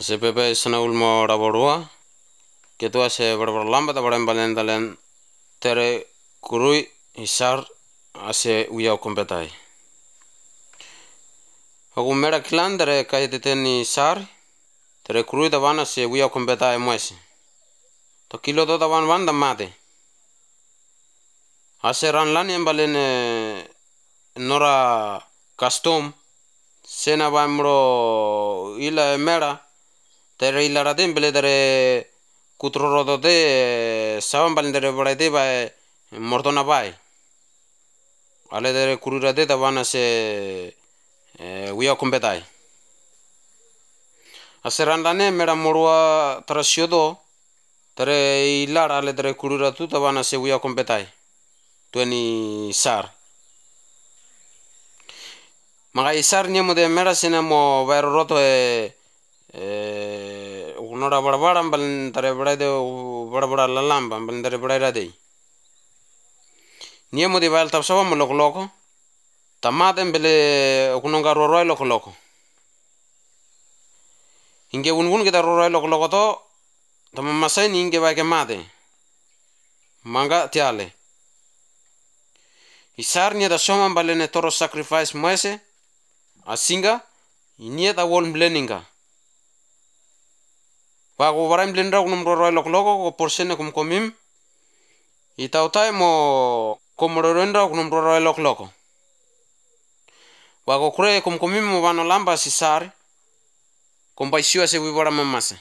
Se pepe sana ulmo raborua ketua se barbara lamba da barem balendalen tere kurui isar ase uya kompetai. Aku mera klan tere kai teteni sar tere kurui da wana se uya kompetai moese. To kilo to da wan da mate. Ase ran lan yang balene nora custom sena bamro ila mera tere ila radim bele tere kutroro de saban balendere barade ba mordona bai ale tere kurura de da wana se uya kompetai. Ase ran lane mera morua trasiodo tere ila ale tere kurura tu da wana se uya kompetai. Tueni sar. Maka isar niya mo de mera sina mo bayro roto unora bara bal tare barade bara lalamba bal tare barade. Niya mo de bayal tapsawa mo loko tamaten bele kunonga roroi loko. Inge un kita roroi loko to tamamasai ni inge bay ke mate. Manga tiale. Isar niya da soma balene toro sacrifice moese asinga inia da wol bleninga. Wago warai blendra kunum roroi loko ko porsene kum komim itautai mo komororendra kunum roroi loko. Wago kure kum komim mo vano lamba sisar kombaisio se wibora mamasa.